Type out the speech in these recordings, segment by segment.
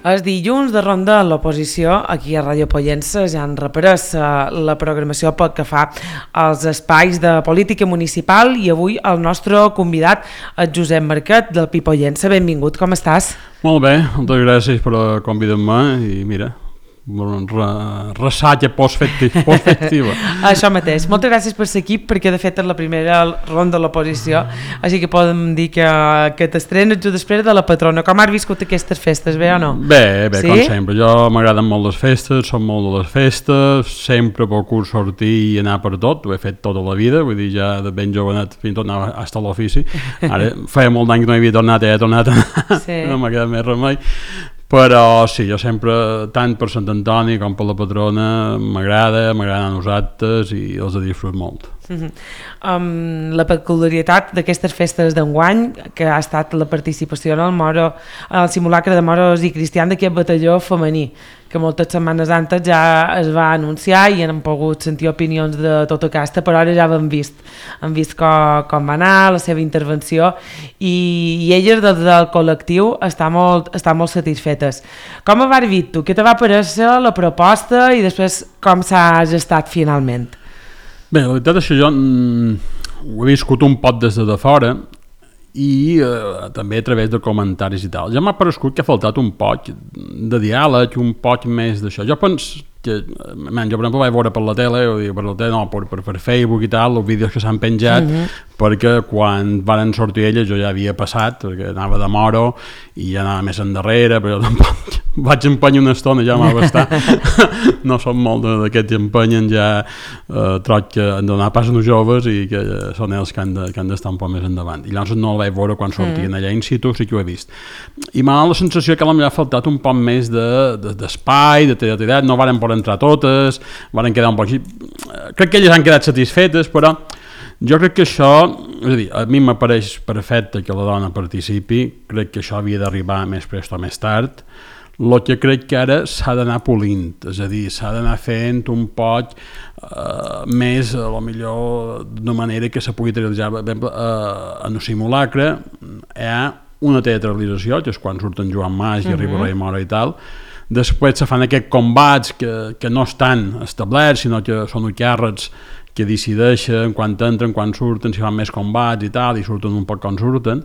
Els dilluns de ronda a l'oposició, aquí a Ràdio Pollença ja han reprès la programació pel que fa als espais de política municipal i avui el nostre convidat, el Josep Marquet del Pi Pollença. Benvingut, com estàs? Molt bé, moltes gràcies per convidar-me i mira, ressaca postfestiva. Això mateix. Moltes gràcies per ser aquí, perquè de fet és la primera ronda de l'oposició, així que podem dir que t'estrenes just després de la patrona. Com has viscut aquestes festes, bé o no? Bé, sí? Com sempre. Jo m'agraden molt les festes, som molt de les festes, sempre procuro sortir i anar per tot, ho he fet tota la vida, vull dir, ja de ben jovenet fins i tot anar a l'ofici. Ara feia molt d'any que no havia tornat, he tornat a anar, sí. No m'ha quedat més remei. Però sí, jo sempre, tant per Sant Antoni com per la patrona, m'agraden a nosaltres i els disfruto molt. La peculiaritat d'aquestes festes d'enguany, que ha estat la participació en el simulacre de moros i cristians d'aquest batalló femení, que moltes setmanes antes ja es va anunciar i han pogut sentir opinions de tota casta, però ara ja han vist com va anar, la seva intervenció, i elles del col·lectiu estan molt satisfetes. Com ho vas dir tu? Què te va aparèixer la proposta i després com s'ha gestat finalment? Bé, la veritat és que jo ho he viscut un pot des de fora i també a través de comentaris i tal. Ja m'ha parescut que ha faltat un poc de diàleg, un poc més d'això. Jo penso que, jo per exemple vaig veure per la tele, per Facebook i tal, els vídeos que s'han penjat, perquè quan varen sortir elles jo ja havia passat, perquè anava de moro i ja anava més endarrere, però jo tampoc vaig empenyar una estona, ja m'ha bastat. No som molt d'aquests que empenyen, ja troc que han de donar pas als joves i que són ells que han d'estar un poc més endavant. I llavors no el vaig veure quan sortien allà in situ, sí que ho he vist. I m'ha donat la sensació que potser ha faltat un poc més d'espai, de teatralitat, no varen poder entrar totes, varen quedar un poc així. Crec que elles han quedat satisfetes, però jo crec que això, és a dir, a mi m'apareix perfecte que la dona participi, crec que això havia d'arribar més prest o més tard. El que crec que ara s'ha d'anar polint, és a dir, s'ha d'anar fent un poc més, a lo millor d'una manera que se pugui realitzar. Per exemple, en el simulacre hi ha una teatralització, que és quan surten Joan Mas i arriba Rei Mora i tal. Després se fan aquests combats que no estan establerts, sinó que són càrrecs que decideixen quan entren, quan surten, si fan més combats i tal, i surten un poc com surten.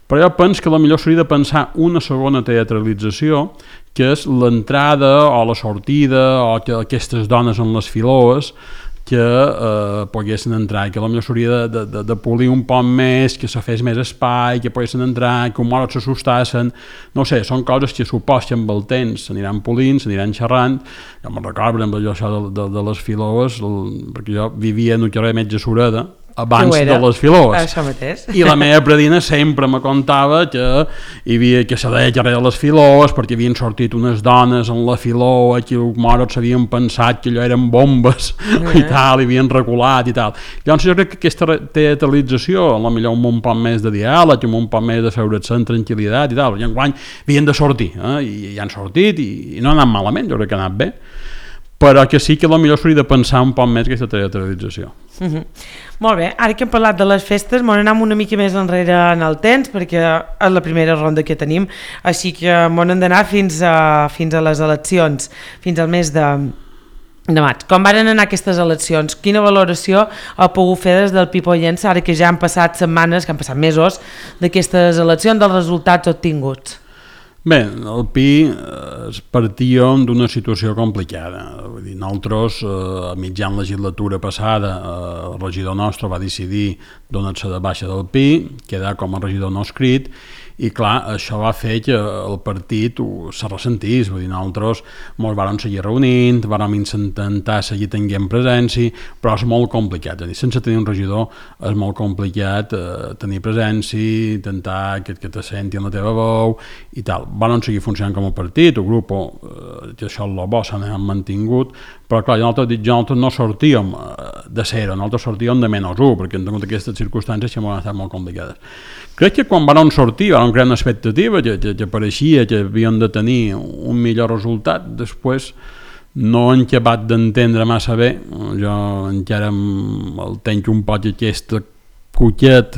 Però jo penso que potser s'hauria de pensar una segona teatralització, que és l'entrada o la sortida, o que aquestes dones en les filoes que poguessin entrar, que potser s'hauria de polir un poc més, que se fes més espai, que poguessin entrar, que un mort s'assustassen, no sé, són coses que supos que amb el temps s'aniran polint, s'aniran xerrant. Jo me'n recordo, per exemple, jo això de les filoes, perquè jo vivia en el carrer Metge Sureda, abans de les filoes. Això mateix. I la meva predina sempre me contava que hi havia que se deia carrer de les filoes perquè havien sortit unes dones en la filoa que els moros s'havien pensat que allò eren bombes i tal, i havien reculat i tal. Llavors jo crec que aquesta teatralització, potser amb un poc més de diàleg, amb un poc més de feure's en tranquil·litat i tal, i enguany havien de sortir, i han sortit i no ha anat malament, jo crec que ha anat bé, però que sí que potser s'hauria de pensar un poc més aquesta teatralització. Molt bé, ara que hem parlat de les festes anem una mica més enrere en el temps, perquè és la primera ronda que tenim, així que hem d'anar fins a les eleccions, fins al mes de maig. Com van anar aquestes eleccions? Quina valoració ha pogut fer des del Pi Pollença, ara que ja han passat setmanes, que han passat mesos d'aquestes eleccions, dels resultats obtinguts? Bé, el Pi partíem d'una situació complicada. Vull dir, nosaltres, a mitjan legislatura passada, el regidor nostre va decidir donar-se de baixa del Pi, quedar com a regidor no escrit, i clar, això va fer que el partit se ressentís. Vull dir, nosaltres ens vàrem seguir reunint, vàrem intentar seguir tenint presència, però és molt complicat. Sense tenir un regidor és molt complicat tenir presència, intentar que te senti en la teva veu i tal. Vàrem seguir funcionant com a partit, el grup, que això és el bo, s'han mantingut, però clar, nosaltres no sortíem de 0, nosaltres sortíem de -1, perquè en aquestes circumstàncies que han estat molt complicades. Crec que quan van sortir van crear una expectativa que pareixia que havien de tenir un millor resultat. Després no han acabat d'entendre massa bé, jo encara el tenc un poc aquest cuquet.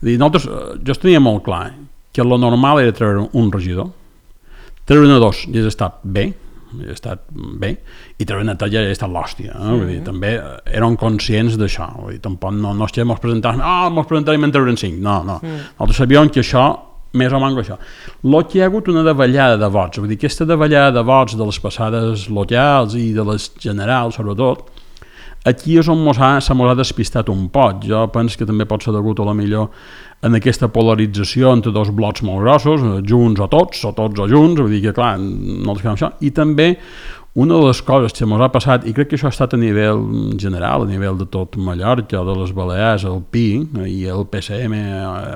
Nosaltres, jo tenia molt clar que lo normal era treure un regidor, treure-ne 2 ja ha estat bé, i treure-ne 3 ja ha estat l'hòstia, vull dir, també eren conscients d'això, vull dir, tampoc no és que mos presentarem en treure'n 5, no, nosaltres sabíem que això més o menys això. El que hi ha hagut una davallada de vots, vull dir, aquesta davallada de vots de les passades locals i de les generals, sobretot, aquí és on se mos ha despistat un poc. Jo penso que també pot ser degut a la millor en aquesta polarització entre dos blocs molt grossos, junts o tots o junts, vull dir que clar, no fem això, i també una de les coses que ens ha passat, i crec que això ha estat a nivell general, a nivell de tot Mallorca, de les Balears, el PI i el PSM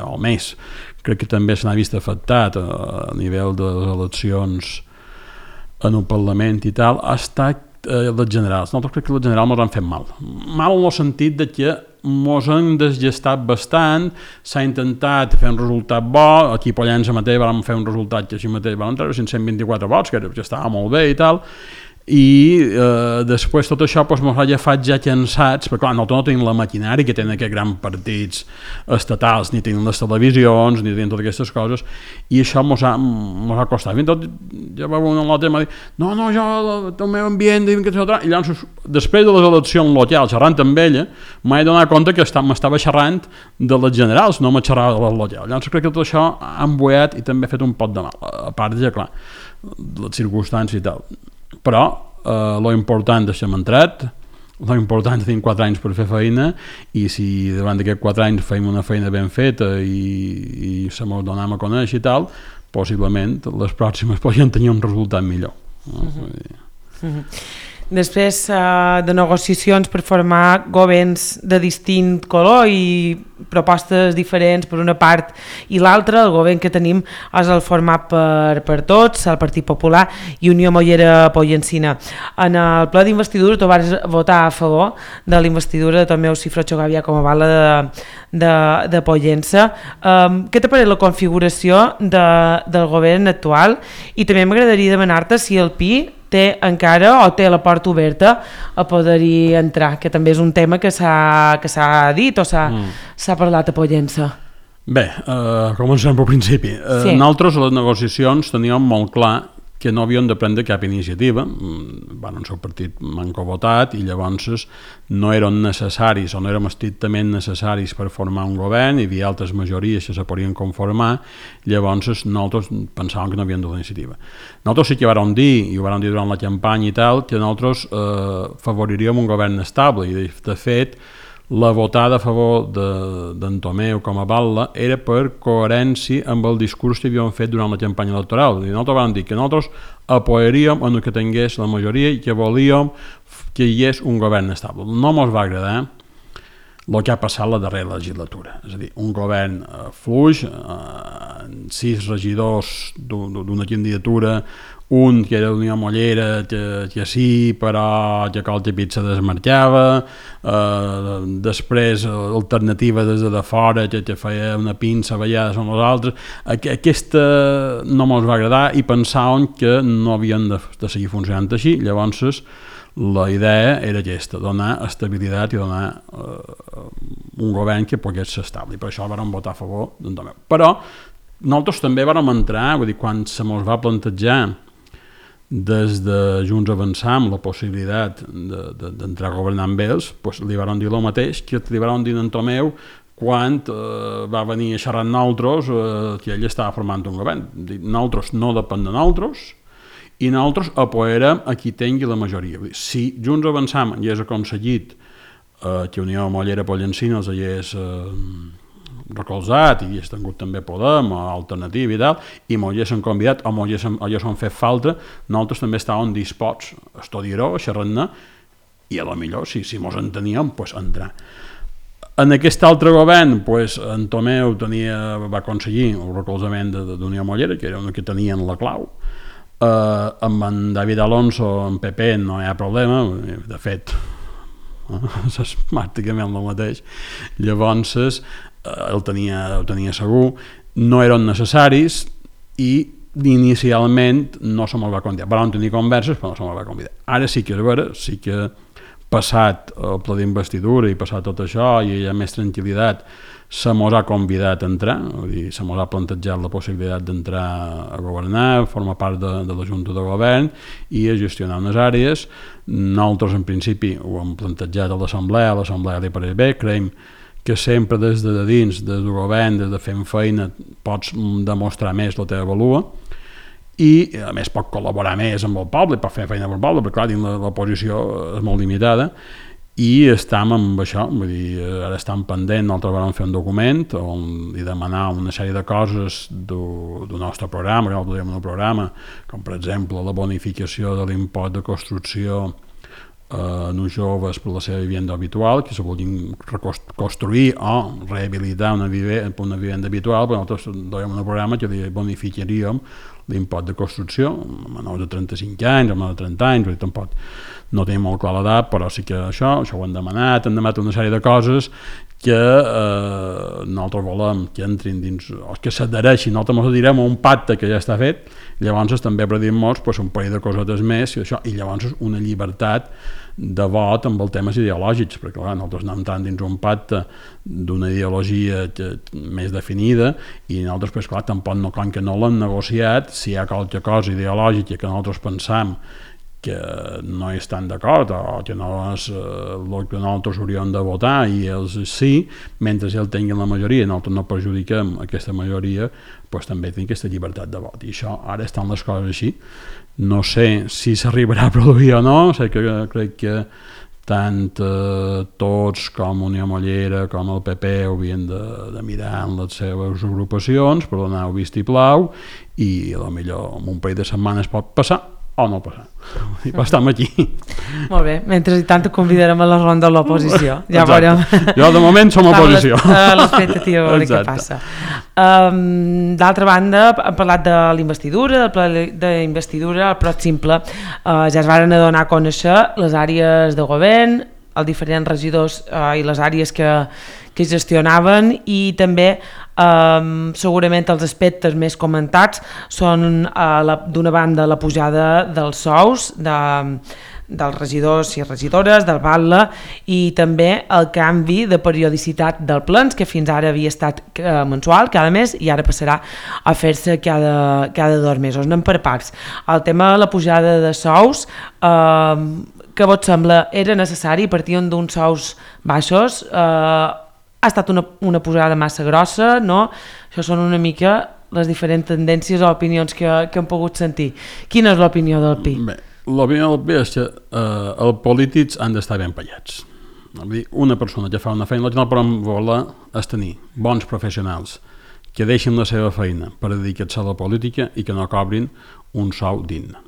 o més, crec que també se n'ha vist afectat a nivell de les eleccions en el Parlament i tal, ha estat les generals. Nosaltres crec que les generals ens han fet mal en el sentit de que ens han desgestat bastant, s'ha intentat fer un resultat bo, aquí a Pollença mateix vam fer un resultat que així mateix vam treure 524 vots, que estava molt bé i tal, i després tot això ens ha agafat ja cansats, perquè clar, nosaltres no tenim la maquinària que tenen aquests grans partits estatals, ni tenim les televisions, ni tenim totes aquestes coses, i això ens ha costat. Fins i tot ja va un altre m'ha dit, no, jo, el meu ambient, i llavors, després de les eleccions locals, xerrant amb ella, m'he donat compte que m'estava xerrant de les generals, no me xerrava de les locals. Llavors crec que tot això ha embuet i també ha fet un pot de mal, a part de, clar, les circumstàncies i tal. Però lo important deixem entrat, lo important és tenir 4 anys per fer feina, i si davant d'aquests 4 anys fem una feina ben feta i se mos donem a conèixer i tal, possiblement les pròximes podrien tenir un resultat millor. Després de negociacions per formar governs de distint color i propostes diferents per una part i l'altra, el govern que tenim és el format per tots, el Partit Popular i Unió Mollera Pollencina. En el ple d'investidura tu vas votar a favor de la investidura de Tomeu Cifrocho Gavia com a bala de Pollença. Què t'ha paret la configuració del govern actual? I també m'agradaria demanar-te si el PI té encara o té la porta oberta a poder-hi entrar, que també és un tema que s'ha dit o s'ha parlat a Pollença. Bé, comencem pel principi. Sí. Nosaltres a les negociacions teníem molt clar que no havíem de prendre cap iniciativa, el seu partit manco votat, i llavors no eren necessaris o no érem estrictament necessaris per formar un govern, hi havia altres majories que se podien conformar, llavors nosaltres pensàvem que no havíem de la iniciativa. Nosaltres sí que vàrem dir, i ho vàrem dir durant la campanya i tal, que nosaltres favoriríem un govern estable, i de fet la votada a favor d'en Tomeu com a batlle era per coherència amb el discurs que havíem fet durant la campanya electoral. I nosaltres vam dir que nosaltres apoyaríem en el que tingués la majoria i que volíem que hi hagués un govern estable. No ens va agradar el que ha passat la darrera legislatura, és a dir, un govern fluix, 6 regidors d'una candidatura, un que era d'Unió Mollera que sí, però que Colta Pit se desmarcava, després alternativa des de fora que feia una pinça a vegades amb els altres. Aquesta no ens va agradar i pensàvem que no havien de seguir funcionant així. Llavors la idea era aquesta, donar estabilitat i donar un govern que pogués ser estable, i per això vam votar a favor d'en Tomeu. Però nosaltres també vam entrar, vull dir, quan se mos va plantejar des de Junts Avançar amb la possibilitat d'entrar a governar amb ells, doncs li van dir el mateix que li van dir en Tomeu quan va venir a xerrar amb nosaltres que ell estava formant un govern. Nosaltres no depèn de nosaltres i nosaltres apoyarem a qui tingui la majoria. Si Junts Avançam hagués aconseguit que Unió Mollera Pollencina els hagués recolzat i hagués tingut també Podem o Alternativa i tal, i m'ho haguessin convidat o m'ho haguessin fet falta, nosaltres també estàvem disposts a estudiar-ho, a xerrar-ne, i a lo millor, si mos enteníem, doncs entrar. En aquest altre govern, en Tomeu va aconseguir el recolzament d'Unió Mollera, que era el que tenien la clau. Amb en David Alonso, en PP, no hi ha problema, de fet, és pràcticament el mateix. Llavors, el tenia segur, no eren necessaris i inicialment no se me'l va convidar. Vam tenir converses, però no se me'l va convidar. Ara sí que és vera, sí que passat el pla d'investidura i passat tot això i hi ha més tranquil·litat, se mos ha convidat a entrar, vull dir, se mos ha plantejat la possibilitat d'entrar a governar, formar part de la Junta de Govern i a gestionar unes àrees. Nosaltres en principi ho hem plantejat a l'Assemblea li pareix bé, creiem que sempre des de dins, des del govern, des de fent feina, pots demostrar més la teva valua i a més pot col·laborar més amb el poble, pot fer feina amb el poble, perquè clar, dins la posició és molt limitada i estem amb això, vull dir, ara estem pendent, nosaltres vam fer un document on li demanar una sèrie de coses del nostre programa, que nosaltres diem un programa, com per exemple la bonificació de l'impost de construcció en uns joves per la seva vivenda habitual, que se vulguin reconstruir o rehabilitar una vivenda habitual, però nosaltres donem un programa que bonificaríem l'impost de construcció, a menors de 35 anys, a menors de 30 anys, tampoc no tenim molt clar l'edat, però sí que això ho hem demanat una sèrie de coses que nosaltres volem que entrin dins, o que s'adhereixin, nosaltres ens direm a un pacte que ja està fet, llavors també predim-nos un parell de cosetes més i, això, i llavors una llibertat de vot amb els temes ideològics, perquè clar, nosaltres anem entrant dins un pacte d'una ideologia més definida i nosaltres, pues, clar, tampoc no, que no l'hem negociat, si hi ha qualque cosa ideològica que nosaltres pensam que no hi estan d'acord o que no és el que nosaltres hauríem de votar i ells sí, mentre ells tinguin la majoria i nosaltres no perjudiquem aquesta majoria, doncs també tenim aquesta llibertat de vot i això, ara estan les coses així. No sé si s'arribarà a produir o no, sé que crec que tant tots com Unió Mollera com el PP haurien de mirar en les seves agrupacions per donar-ho vistiplau i potser en un parell de setmanes pot passar o no passar. I estem aquí. Molt bé, mentre i tant convidarem a la ronda de l'oposició. Ja veurem. Jo de moment som oposició. L'expectativa a veure què passa. D'altra banda, hem parlat de l'investidura, del pla d'investidura, però és simple. Ja es varen adonar a conèixer les àrees de govern, els diferents regidors i les àrees que gestionaven i també segurament els aspectes més comentats són d'una banda la pujada dels sous dels regidors i regidores, del batlle i també el canvi de periodicitat del plens que fins ara havia estat mensual, cada mes i ara passarà a fer-se cada 2 mesos. Anem per parts. El tema de la pujada de sous, què vos sembla? Era necessari? Partien d'uns sous baixos? Ha estat una pujada massa grossa, no? Això són una mica les diferents tendències o opinions que hem pogut sentir. Quina és l'opinió del Pi? Bé, l'opinió del Pi és que els polítics han d'estar ben pagats. Una persona que fa una feina, el que no podem voler és tenir bons professionals que deixin la seva feina per dedicar-se a la política i que no cobrin un sou digne.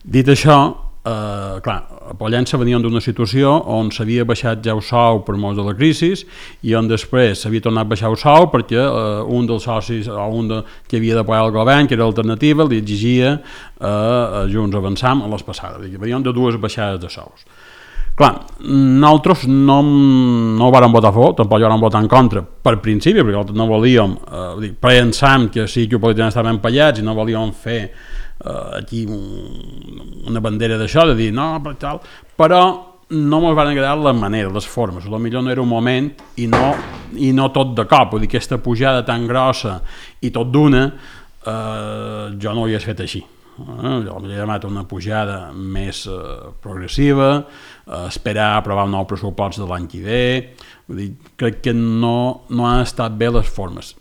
Dit això, clar, a Pollença venien d'una situació on s'havia baixat ja el sou per molts de la crisi i on després s'havia tornat a baixar el sou perquè un dels socis o que havia d'apoyar el govern, que era l'alternativa, li exigia a Junts Avançam a les passades. Venien de 2 baixades de sous. Clar, nosaltres no ho vàrem votar a favor, tampoc ho vàrem votar en contra per principi, perquè nosaltres no volíem, pensàvem que sí que políticament estaven pagats i no volíem fer aquí una bandera d'això, de dir no, però no ens van agradar la manera, les formes, potser no era un moment i no tot de cop, vull dir, aquesta pujada tan grossa i tot d'una, jo no ho hagués fet així. Jo m'he demanat una pujada més progressiva, esperar aprovar un nou pressupost de l'any que ve, vull dir, crec que no han estat bé les formes.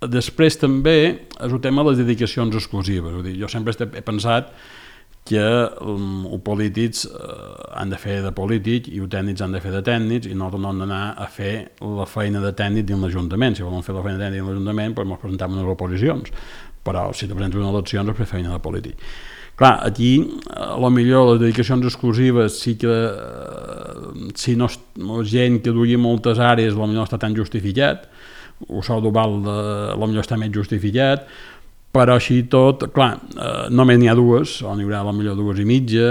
Després també és el tema de les dedicacions exclusives. Jo sempre he pensat que els polítics han de fer de polítics i els tècnics han de fer de tècnics i nosaltres no hem d'anar a fer la feina de tècnic dins l'Ajuntament. Si volem fer la feina de tècnic dins l'Ajuntament, doncs ens presentem unes oposicions, però si te presentes unes eleccions és fer feina de polític. Clar, aquí potser les dedicacions exclusives sí que si no gent que duia moltes àrees potser no està tan justificat, el sou d'Oval potser està més justificat, però així tot, clar, només n'hi ha 2, o n'hi haurà potser 2 i mitja,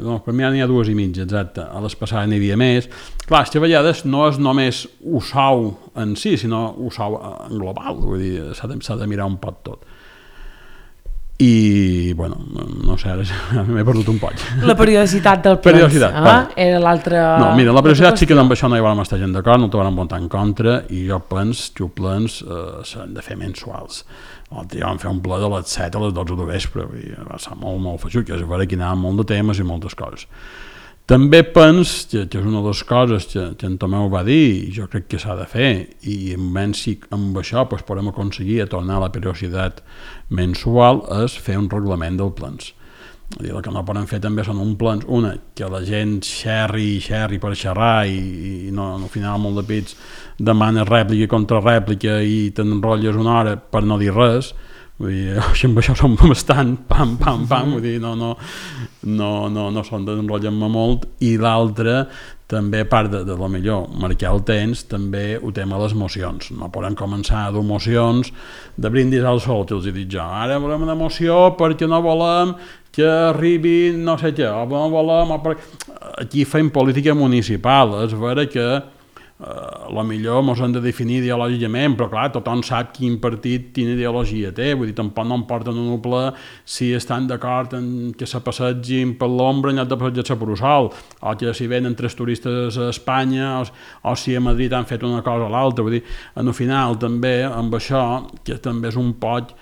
no, per mi n'hi ha 2 i mitja, exacte, a les passades n'hi havia més. Clar, és que a vegades no és només el sou en si, sinó el sou en global, vull dir, s'ha de mirar un pot tot. i, bueno, no sé, ara m'he perdut un poc. La periodicitat del plens, era l'altre... No, mira, la periodicitat sí que amb això no hi vam estar gent d'acord, no t'ho vam votar en contra, i jo plens s'han de fer mensuals. L'altre dia vam fer un ple de les 7 a les 12 de vespre, i va ser molt feixut, que és a veure que hi anava molt de temes i moltes coses. També penso que és una de les coses que en Tomeu va dir, i jo crec que s'ha de fer, i si amb això podem aconseguir tornar a la periodicitat mensual, és fer un reglament del plens. El que no poden fer també són un plens, que la gent xerri per xerrar i no, al final molt de pits demana rèplica i contrarèplica i t'enrotlles una hora per no dir res. Vull dir, amb això som bastant pam, vull dir, no són d'enrotllar-me molt. I l'altre, també a part de lo millor marcar el temps, també ho tem a les mocions. No podem començar a dur mocions de brindis al sol, que els he dit jo. Ara volem una moció perquè no volem que arribi no sé què, o no volem... Aquí fem política municipal, és vera que millor ens hem de definir ideològicament, però clar, tothom sap quin partit quina ideologia té, vull dir, tampoc no em porten un ple si estan d'acord en que se passegin per l'ombra en lloc de passejar-se per el sol, o que si venen 3 turistes a Espanya, o si a Madrid han fet una cosa o l'altra, vull dir, en el final també amb això, que també és un poc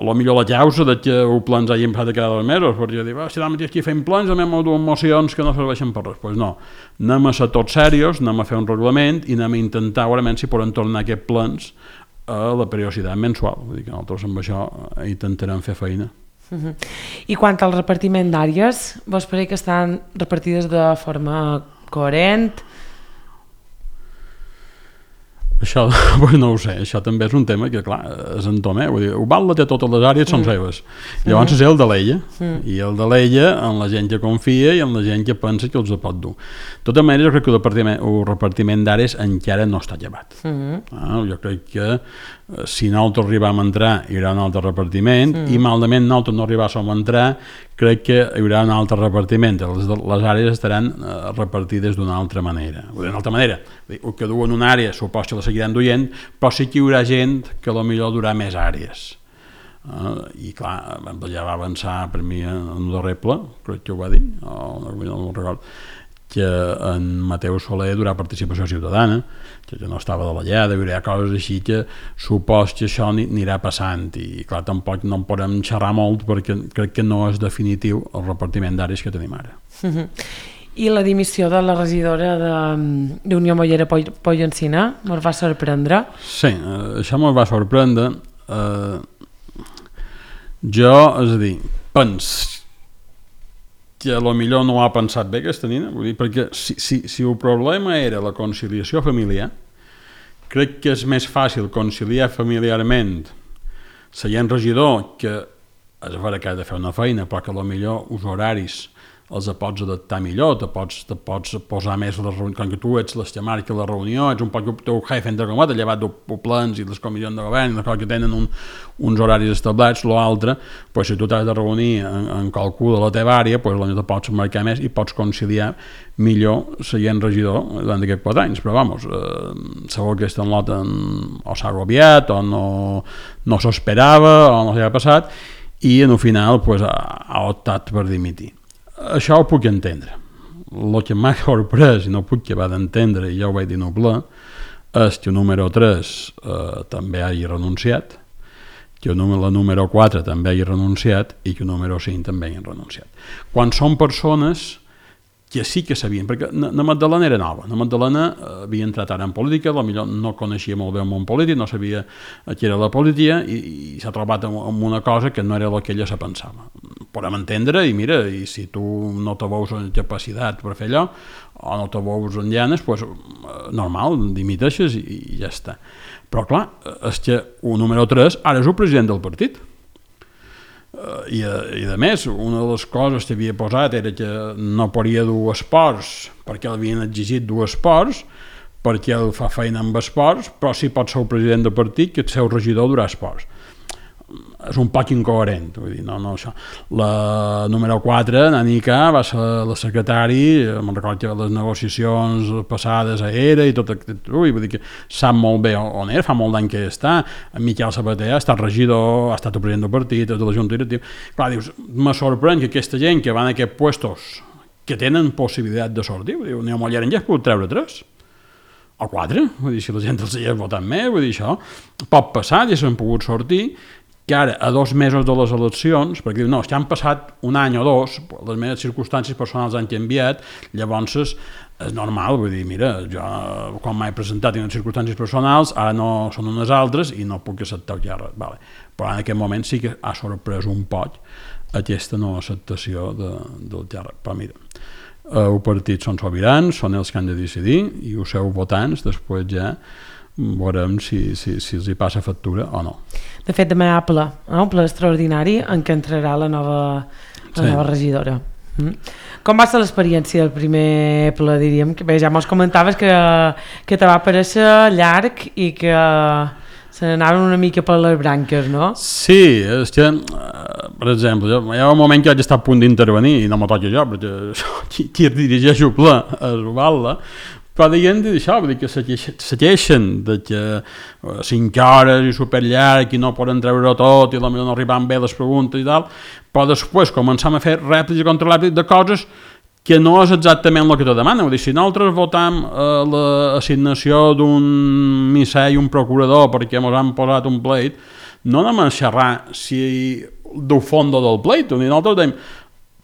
potser la causa de que el plens hagin passat cada 2 mesos, perquè dic, si ara mateix aquí fem plens, anem a dues mocions que no serveixen per res. Doncs no, anem a ser tots serios, anem a fer un reglament i anem a intentar, segurament, si podem tornar aquests plens a la periodicitat mensual. Vull dir que nosaltres amb això intentarem fer feina. I quant al repartiment d'àrees, vos pareix que estan repartides de forma coherent? Això, pues no ho sé, això també és un tema que, clar, és en Tomé, vull dir, Ubalda té totes les àrees, són seves. Llavors és el de l'ella, i el de l'ella en la gent que confia i en la gent que pensa que els pot dur. De tota manera, jo crec que el repartiment d'àrees encara no està llevat. Jo crec que si nosaltres arribam a entrar hi haurà un altre repartiment i malament nosaltres no arribàssim a entrar, crec que hi haurà un altre repartiment. Les àrees estaran repartides d'una altra manera. D'una altra manera, el que duen una àrea suposa que la seguiran duent, però sí que hi haurà gent que potser durà més àrees. I clar, ja va avançar per mi en el darrer ple, crec que ho va dir, no me'n recordo, que en Mateu Soler durà participació ciutadana, que no estava de la lleada, hi haurà coses així que supos que això anirà passant i clar, tampoc no en podem xerrar molt perquè crec que no és definitiu el repartiment d'àrees que tenim ara. I la dimissió de la regidora d'Unió Mollera Pollencina ens va sorprendre? Sí, això ens va sorprendre. Jo, és a dir, penso que potser no ho ha pensat bé aquesta nina, vull dir, perquè si el problema era la conciliació familiar, crec que és més fàcil conciliar familiarment seient regidor, que és vera que ha de fer una feina, però que potser els horaris els pots adaptar millor, te pots posar més les reunions, com que tu ets les que marca la reunió, ets un poc el teu jefe entre cometes, llevat dels plans i les comissions de govern, les coses que tenen uns horaris establerts, l'altre, si tu t'has de reunir en qualcú de la teva àrea, potser te pots marcar més i pots conciliar millor seient regidor durant aquests 4 anys, però vamos, segur que aquesta nota o s'ha agobiat o no s'esperava o no s'ha passat i en el final ha optat per dimitir. Això ho puc entendre. El que m'ha sorprès i no puc acabar d'entendre, i ja ho vaig dir en el ple, és que el número 3 també hagi renunciat, que la número 4 també hagi renunciat i que el número 5 també hagi renunciat. Quan són persones que sí que sabien, perquè la Magdalena era nova, la Magdalena havia entrat ara en política, potser no coneixia molt bé el món polític, no sabia què era la política i s'ha trobat amb una cosa que no era el que ella se pensava. Podem entendre, i mira, i si tu no te veus en capacitat per fer allò, o no te veus en llanes, normal, dimiteixes i ja està. Però clar, és que el número 3 ara és el president del partit. I a més, una de les coses que havia posat era que no podia dur esports perquè l'havien exigit dur esports perquè ell fa feina amb esports, però sí pot ser el president del partit que el seu regidor durà esports. és un poc incoherent, vull dir, no, això. La número 4, Nanica, va ser la secretari, me'n recordo que les negociacions passades era i tot aquest, vull dir que sap molt bé on era, fa molt d'any que està, en Miquel Sabater ha estat regidor, ha estat el president del partit, de la Junta Directiva, clar, dius, me sorprèn que aquesta gent que van a aquests puestos que tenen possibilitat de sortir, vull dir, un Molleren ja es pot treure 3, o 4, vull dir, si la gent els hi ha votat més, vull dir, això pot passar, ja s'han pogut sortir, que ara, a 2 mesos de les eleccions, perquè diu, no, és que han passat un any o 2, les meves circumstàncies personals han canviat, llavors és normal, vull dir, mira, jo quan m'he presentat en circumstàncies personals, ara no són unes altres i no puc acceptar el càrrec, vale. Però en aquest moment sí que ha sorprès un poc aquesta no acceptació del càrrec, però mira, els partits són sobirans, són els que han de decidir i els seus votants després ja veurem si els hi passa factura o no. De fet, demà hi ha ple, un ple extraordinari en què entrarà la nova regidora. Com va ser l'experiència del primer ple, diríem? Que bé, ja mos comentaves que te va aparèixer llarg i que se n'anaven una mica per les branques, no? Sí, és que, per exemple, hi ha un moment que vaig estar a punt d'intervenir i no m'ho toca jo, perquè qui dirigeix el ple és Ubalda, però dient d'això, vull dir que se queixen de que 5 hores i superllarg i no poden treure tot i potser no arriben bé les preguntes i tal, però després començam a fer rèpliques contra rèpliques de coses que no és exactament el que te demana. Vull dir, si nosaltres votam l'assignació d'un misser i un procurador perquè ens han posat un pleit, no anem a xerrar si del fons del pleit, nosaltres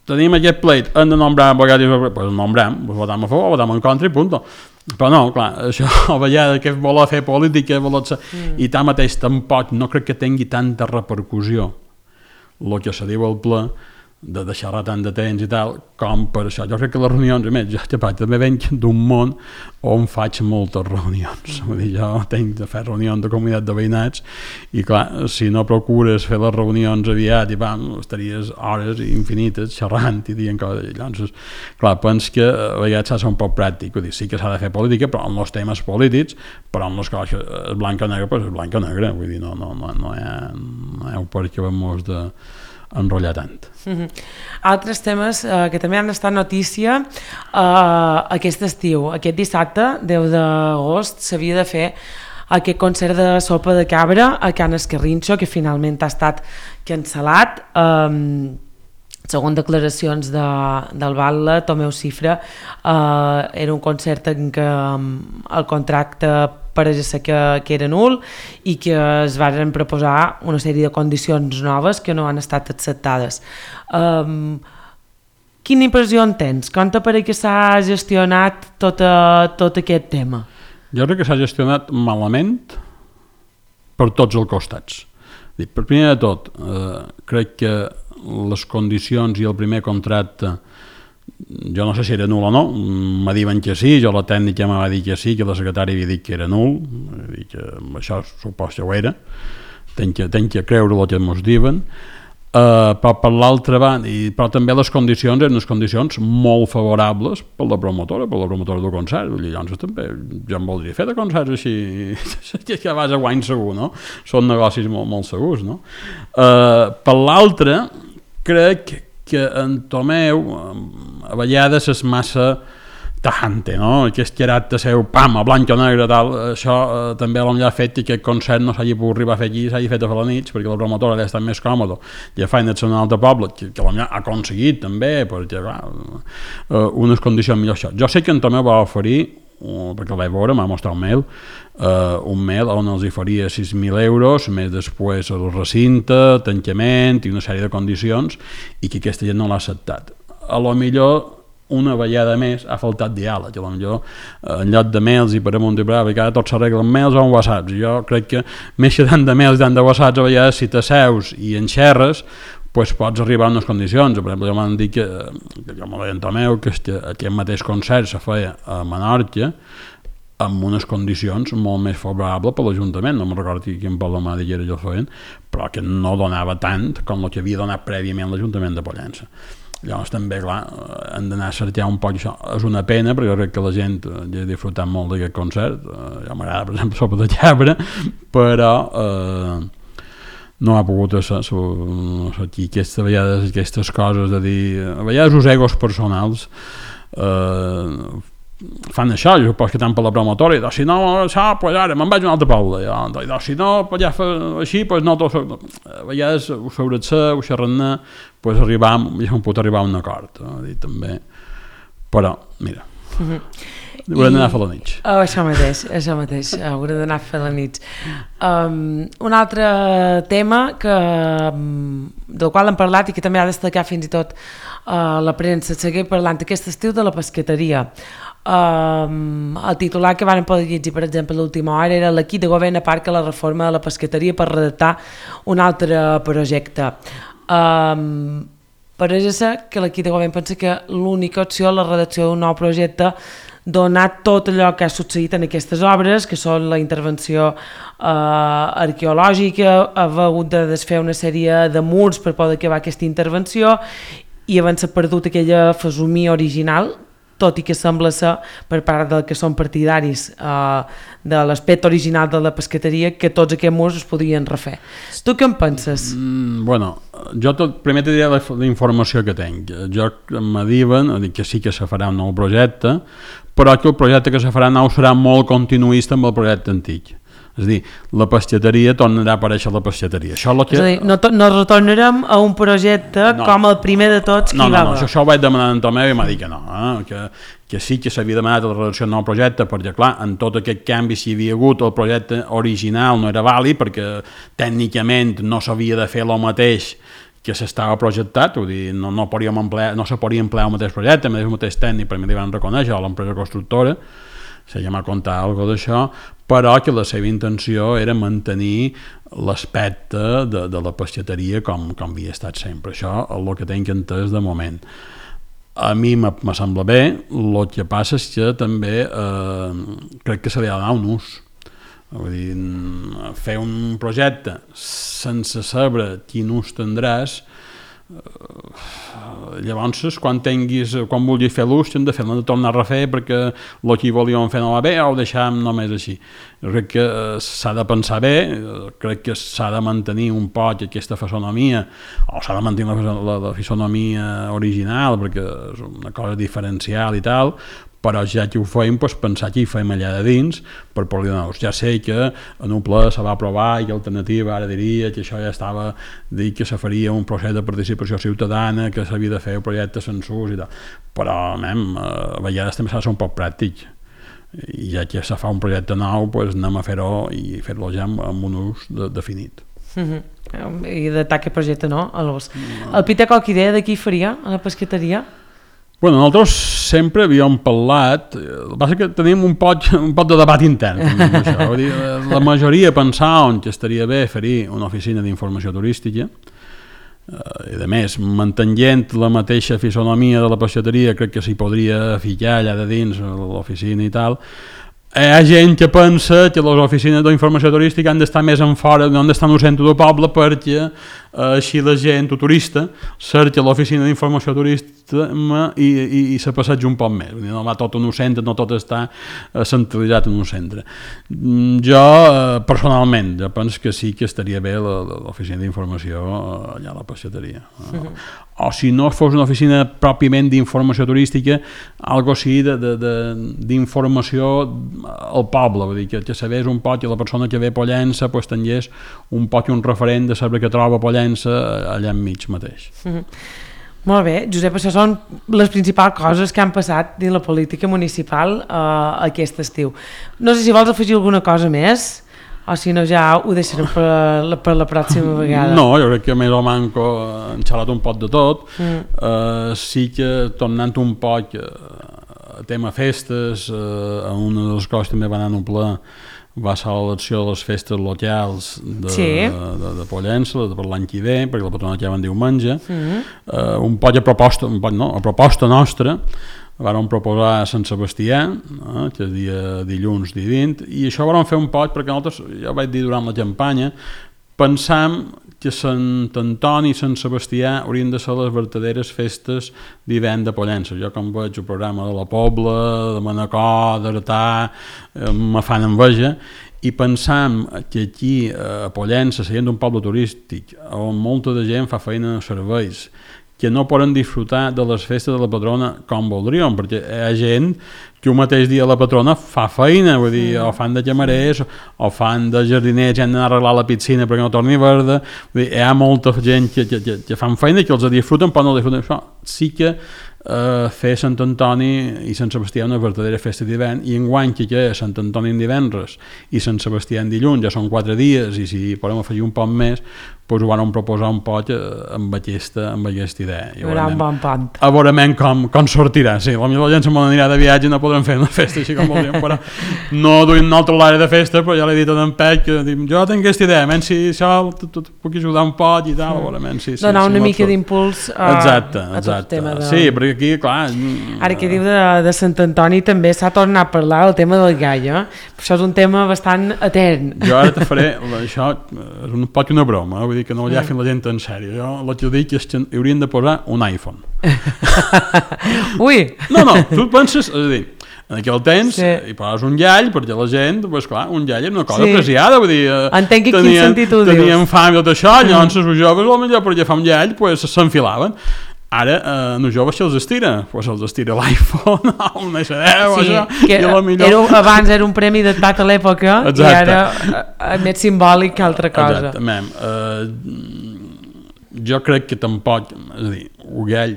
tenim aquest pleit, hem de nombrar abogat i doncs nombrem, votam a favor, votam en contra i punt. Però no, clar, això a vegades que voler fer política i tanmateix tampoc no crec que tingui tanta repercussió el que se diu al ple de deixar-la tant de temps i tal, com per això. Jo crec que les reunions, a més, jo també venc d'un món on faig moltes reunions. Vull dir, jo tinc de fer reunions de comunitat de veïnats i, clar, si no procures fer les reunions aviat, i estaries hores infinites xerrant i dient coses. Llavors, clar, penso que a vegades s'ha de ser un poc pràctic. Vull dir, sí que s'ha de fer política, però en els temes polítics, però en les coses és blanc o negre, doncs és blanc o negre. Vull dir, no hi ha un per què vam enrotllar tant. Altres temes que també han estat notícia aquest estiu, aquest dissabte 10 d'agost s'havia de fer aquest concert de sopa de cabra a Can Escarrinxo, que finalment ha estat cancel·lat. Segons declaracions del Batlle, Tomeu Cifra, era un concert en què el contracte pareix ser que era nul i que es van proposar una sèrie de condicions noves que no han estat acceptades. Quina impressió en tens? Com t'apareix que s'ha gestionat tot aquest tema? Jo crec que s'ha gestionat malament per tots els costats. Per primer de tot, crec que les condicions i el primer contracte, jo no sé si era nul o no, me diuen que sí, jo la tècnica me va dir que sí, que la secretària havia dit que era nul, que això supos que ho era, tenc que creure el que ens diuen, però per l'altra banda, però també les condicions eren unes condicions molt favorables per la promotora del concert. Llavors també jo em voldria fer de concerts així, que vas a guany segur, no? Són negocis molt segurs, no? Per l'altra, crec que en Tomeu a vegades és massa tajante, no? Aquest caràcter seu, pam, a blanc o negre, tal, això també ha fet que aquest concert no s'hagi pogut arribar a fer aquí, s'hagi fet a fer la nit, perquè la promotora ha estat més còmoda, ja fa en un altre poble, que ha aconseguit també, perquè unes condicions millors. Jo sé que en Tomeu va oferir, perquè el vaig veure, m'ha mostrat un mail on els faria 6.000 euros, més després el recinte, tancament i una sèrie de condicions, i que aquesta gent no l'ha acceptat. A lo millor una vegada més ha faltat diàleg, potser en lloc de mails i per amunt i per avall, que ara tot s'arregla en mails o en whatsapps. Jo crec que més que tant de mails i tant de whatsapps, a vegades si t'asseus i en xerres, pues pots arribar a unes condicions. Per exemple, jo m'han dit que jo me deia Tomeu que aquest mateix concert se feia a Menorca amb unes condicions molt més favorables per l'Ajuntament, no me'n recordo quin poble m'ha dit que era jo feien, però que no donava tant com el que havia donat prèviament l'Ajuntament de Pollença. Llavors també, clar, hem d'anar a cercar un poc això. És una pena, perquè jo crec que la gent ja ha disfrutat molt d'aquest concert. Jo m'agrada, per exemple, Sopa de Cabra, però no ha pogut ser aquí aquestes coses de dir, a vegades els egos personals fan això, jo suposo que tant per la promotora, i si no, això, pues ara me'n vaig a un altre poble, i si no, pues ja fa així, pues no, a vegades ho sobreser, ho xerrar, pues ja pot arribar a un acord, també, però, mira, haurem d'anar a fer la nit. Això mateix, haurem d'anar a fer la nit. Un altre tema del qual hem parlat i que també ha destacat fins i tot la premsa, seguir parlant aquest estiu de la pesqueteria. El titular que van poder llegir, per exemple, a l'última hora era l'equip de govern aparca la reforma de la pesqueteria per redactar un altre projecte. Pareix ser que l'equip de govern pensa que l'única opció és la redacció d'un nou projecte donat tot allò que ha succeït en aquestes obres, que són la intervenció arqueològica, haver hagut de desfer una sèrie de murs per poder acabar aquesta intervenció i havent-se perdut aquella fesomia original, tot i que sembla ser per part del que són partidaris de l'aspecte original de la pesqueteria que tots aquests murs es podrien refer. Tu què en penses? Bueno, jo primer te diré la informació que tinc. Jo me diuen que sí que se farà un nou projecte, però que el projecte que se farà nou serà molt continuista amb el projecte antic. És a dir, la pesqueteria tornarà a aparèixer la pesqueteria. Això és a dir, no retornarem a un projecte com el primer de tots que hi va haver. Això ho vaig demanar a Tomeu i m'ha dit que no, que sí que s'havia demanat la redacció d'un nou projecte, perquè clar, en tot aquest canvi si hi havia hagut el projecte original no era vàlid, perquè tècnicament no s'havia de fer el mateix que s'estava projectat, vull dir, no se podia emplear el mateix projecte, el mateix tècnic, per mi li van reconèixer a l'empresa constructora, se llama contar alguna cosa d'això, però que la seva intenció era mantenir l'aspecte de la pesqueteria com havia estat sempre. Això és el que tinc entès de moment. A mi me sembla bé, el que passa és que també crec que se li ha de donar un ús. Vull dir, fer un projecte sense saber quin ús tindràs, llavors quan vulguis fer l'ús hem de tornar a refer perquè el que volíem fer no va bé o ho deixàvem només així. Jo crec que s'ha de pensar bé, crec que s'ha de mantenir un poc aquesta fisonomia, o s'ha de mantenir la fisonomia original perquè és una cosa diferencial i tal, però ja que ho fem, pensar que hi fem allà de dins per poder donar. Ja sé que en un ple se va aprovar i l'alternativa ara diria que això ja estava dit que se faria un procés de participació ciutadana, que s'havia de fer un projecte sense ús i tal, però a vegades també s'ha de ser un poc pràctic i ja que se fa un projecte nou anem a fer-ho i fer-lo ja amb un ús definit. I d'atacar aquest projecte no? El Peter qualque idea de qui faria a la pesqueteria? Bueno, nosaltres sempre havíem parlat, el que passa que tenim un poc de debat intern. Això. Vull dir, la majoria pensaven que estaria bé fer una oficina d'informació turística, i a més, mantenint la mateixa fisonomia de la pesqueteria, crec que s'hi podria ficar allà de dins l'oficina i tal. Hi ha gent que pensa que les oficines d'informació turística han d'estar més en fora, no han d'estar en el centre del poble perquè així la gent, el turista, cerca l'oficina d'informació turística i se passeja un poc més. No va tot en un centre, no tot està centralitzat en un centre. Jo, personalment, jo penso que sí que estaria bé l'oficina d'informació allà a la pesqueteria. O si no fos una oficina pròpiament d'informació turística, algo així d'informació al poble, vull dir, que sabés un poc que la persona que ve a Pollença tingués un poc un referent de saber que troba a Pollença allà enmig mateix. Molt bé, Josep, això són les principals coses que han passat dins la política municipal aquest estiu. No sé si vols afegir alguna cosa més, o si no ja ho deixarem per la pròxima vegada. No, jo crec que més o manco han xalat un poc de tot. Sí que tornant un poc a tema festes, una de les coses també va anar en un pla va ser l'elecció de les festes locals de Pollença per l'any que ve, perquè la patrona ja van diumenge. Un poc a proposta nostra vàrem proposar Sant Sebastià, que és dia dilluns, dia 20, i això vàrem fer un poc perquè nosaltres, ja ho vaig dir durant la campanya, pensam que Sant Antoni i Sant Sebastià haurien de ser les verdaderes festes d'hivern de Pollença. Jo com veig el programa de la Pobla, de Manacor, d'Artà, me fan enveja, i pensam que aquí a Pollença, sent un poble turístic on molta de gent fa feina en serveis, que no poden disfrutar de les festes de la patrona com voldríem, perquè hi ha gent que un mateix dia la patrona fa feina, vull dir, o fan de camarers, o fan de jardiners, han d'anar a arreglar la piscina perquè no torni verda, vull dir, hi ha molta gent que fan feina, que els disfruten, però no disfruten. Això sí que fer Sant Antoni i Sant Sebastià una verdadera festa d'hivern, i enguany que és Sant Antoni en divendres i Sant Sebastià en dilluns, ja són 4 dies, i si podem afegir un poc més, doncs ho vam proposar un poc amb aquesta idea. Hi haurà un bon pont. A veure com sortirà. Sí, potser la gent se m'anirà de viatge i no podrem fer una festa així com voldríem, però no duim nosaltres l'àrea de festa, però ja l'he dit a en Pec, que dic, jo tinc aquesta idea, menys si això puc ajudar un poc i tal, a veure, menys si... Donar una mica d'impuls a tot el tema de... Sí, perquè aquí, clar... Ara que diu de Sant Antoni també s'ha tornat a parlar el tema del gall, això és un tema bastant etern. Jo ara te faré, això és un poc una broma, vull dir que no ho llafin la gent en sèrio. Jo el que dic és que haurien de posar un iPhone. Ui! No, tu penses, és a dir, en aquell temps hi poses un llall perquè la gent, doncs clar, un llall era una cosa apreciada, vull dir, entenc quin sentit ho dius. Tenien fam i tot això, llavors els joves potser per agafar un llall s'enfilaven. Ara, els joves se'ls estira, se'ls estira l'iPhone o un SD o això, que abans era un premi datat a l'època i ara és més simbòlic que altra cosa. Exactament. Jo crec que tampoc, és a dir, Uguell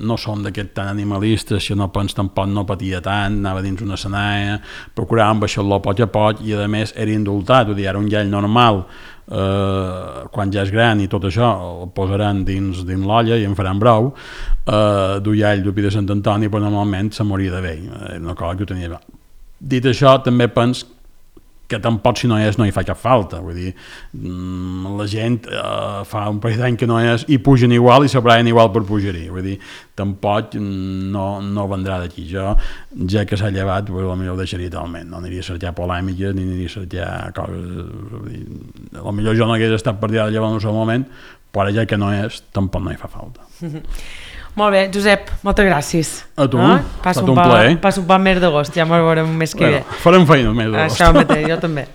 no són d'aquests tan animalistes, si no pens tampoc no patia tant, anava dins una escenària, procuràvem baixar-lo a poc i a més era indultat, vull dir, era un llall normal, quan ja és gran i tot això el posaran dins l'olla i en faran brou, d'ullall d'Upi de Sant Antoni, però normalment se moria de vell, era una cosa que ho tenia. Dit això, també pens que tampoc si no és no hi fa cap falta, vull dir, la gent fa un parell d'any que no és i pugen igual i s'abraien igual per pujar-hi, vull dir, tampoc no vendrà d'aquí. Jo, ja que s'ha llevat, potser ho deixaria talment, no aniria a cercar polèmiques ni aniria a cercar coses, vull dir, potser jo no hagués estat per dir de llevar en un sol moment, però ara ja que no és, tampoc no hi fa falta. Molt bé, Josep, moltes gràcies. A tu, passa un plaer. Passa un bon mes d'agost, ja m'ho veurem un mes que ve. Farem feina el mes d'agost. Això mateix, jo també.